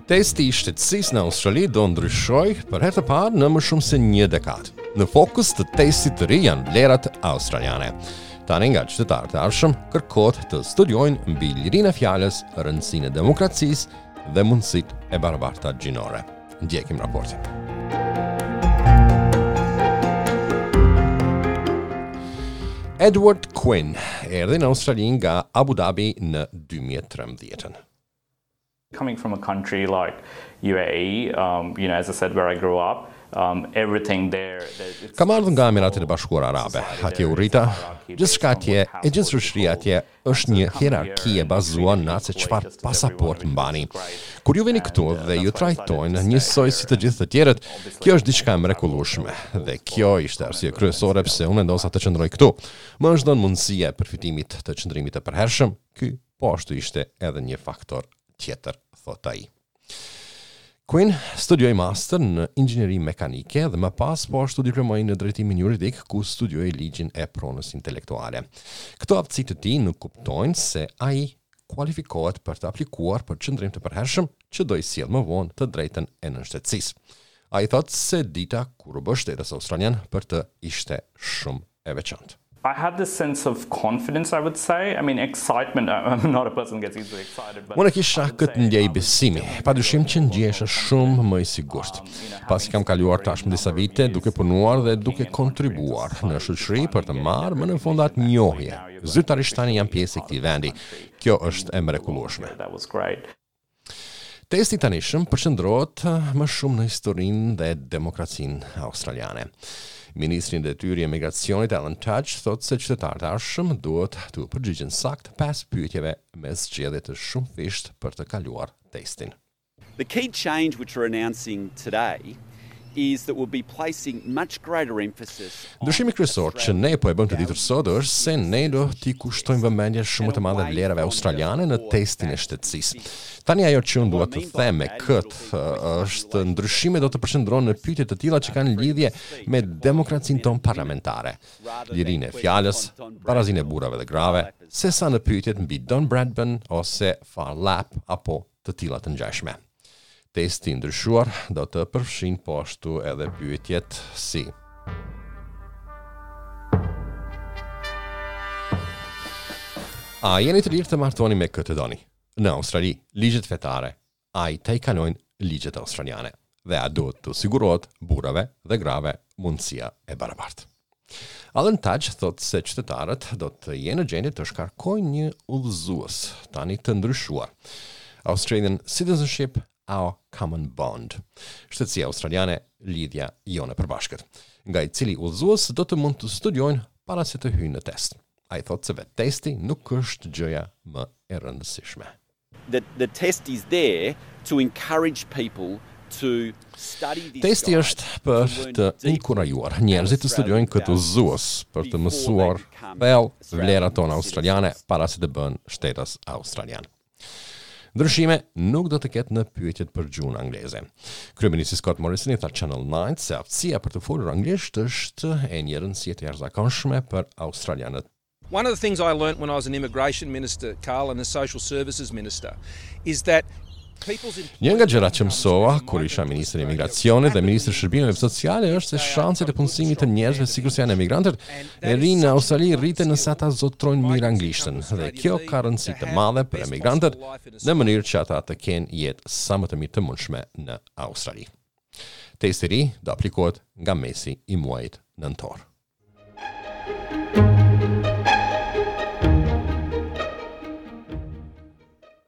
Testi i shtetësisë në Australi do ndryshojë për herë të parë në më shumë se një dekadë. Në fokus të testit të ri janë vlerat australiane. Tani nga qytetarët e ardhshëm kërkohet të studiojnë mbi lirinë e fjalës, rëndësinë e demokracisë dhe mundësitë e barabarta gjinore. Ndjekim raportin. Edward Quinn erdhi në Australi nga Abu Dhabi në 2013. Coming from a country like UAE, um, you know, as I said, where I grew up, um, everything there... Kam ardhur nga Emiratet e Bashkuara Arabe. Atje u rrita, gjithçka atje, e gjithë shoqëria atje është një hierarki e bazuar në atë se çfarë pasaportë mbani. Kur ju vini këtu dhe ju trajtojnë njësoj si të gjithë të tjerët, kjo është diçka e mrekullueshme dhe kjo ishte arsye kryesore pse unë vendosa të qëndroj këtu. Më është dhënë mundësia e përfitimit të qëndrimit të përhershëm, ky Po ashtu ishte edhe një faktor tjetër, thotë ai. Quinn studioi master në inxhinieri mekanike dhe më pas po ashtu diplomoi në drejtimin juridik ku studioi ligjin e pronës intelektuale. Këto aftësi të tij nënkuptojnë se ai kualifikohet për të aplikuar për qëndrim të përhershëm që do i sjellë më vonë të drejtën e nënshtetësisë. Ai thotë se dita kur u bë shtetas australian për të ishte shumë e veçantë. I had this sense of confidence, I would say. I mean, excitement, I'm not a person who gets easily excited, but Unë kisha këtë ndjenjë besimi, padyshim që ndjehesha shumë më i sigurt. Pasi kam kaluar tashmë disa vite duke punuar dhe duke kontribuar në shoqëri për të marrë më në fund atë njohje. Zyrtarisht tani jam pjesë e këtij vendi. Kjo është e mrekullueshme. That was great. Testi i tanishëm përqendrohet më shumë në historinë dhe demokracinë australiane. Ministri në detyrë i emigracionit Alan Tudge thotë se qytetarët e ardhshëm duhet t'u përgjigjen saktë pesë pyetjeve me zgjedhje të shumëfishtë për të kaluar testin. The key change which we're announcing today is that we'll be placing much greater emphasis Ndryshimi kryesor që ne po e bëjmë të ditur sot është se ne do t'i kushtojmë vëmendje shumë më të madhe vlerave australiane në testin e shtetësisë. Tani ajo që unë dua të them me këtë është ndryshime do të përqendrohen në pyetje të tilla që kanë lidhje me demokracinë tonë parlamentare, lirinë e fjalës, barazinë e burrave dhe grave, sesa në pyetjet mbi Don Bradman ose Phar Lap apo të tilla të ngjashme. Testi i ndryshuar do të përfshijë po ashtu edhe pyetjet si A jeni të lirë të martoheni me kë të doni? Në Australi, ligjet fetare a i tejkalojnë ligjet australiane dhe a duhet t'u sigurohet burrave dhe grave mundësia e barabartë? Alan Tudge thotë se qytetarët do të jenë në gjendje të shkarkojnë një udhëzues tani të ndryshuar. Australian Citizenship Our Common Bond. Shtetësia australiane, lidhja jonë e përbashkët, nga i cili udhëzues do të mund të studiojnë para se të hyjnë në test. Ai thotë se vetë testi nuk është gjëja më e rëndësishme. The the test is there to encourage people to study this Testi është për të inkurajuar njerëzit të studiojnë këtë udhëzues, për të mësuar thellë vlerat tona australiane para se të bëhen shtetas australian. Ndryshime nuk do të ketë në pyetjet për gjuhën angleze. Kryeministri Scott Morrison i tha Channel 9 se aftësia për të folur anglisht është e një rëndësie të jashtëzakonshme për australianët One of the things I learnt when I was an immigration minister, Carl, and a social services minister, is that Një nga gjërat që mësova kur isha ministër i Emigracionit dhe ministër i Shërbimeve Sociale është se shanset e punësimit të njerëzve sikurse janë emigrantët e rinj në Australi rriten nëse ata zotërojnë mirë anglishten dhe kjo ka rëndësi të madhe për emigrantët në mënyrë që ata të kenë jetë sa më të mirë të mundshme në Australi. Testi i ri do aplikohet nga mesi i muajit nëntor.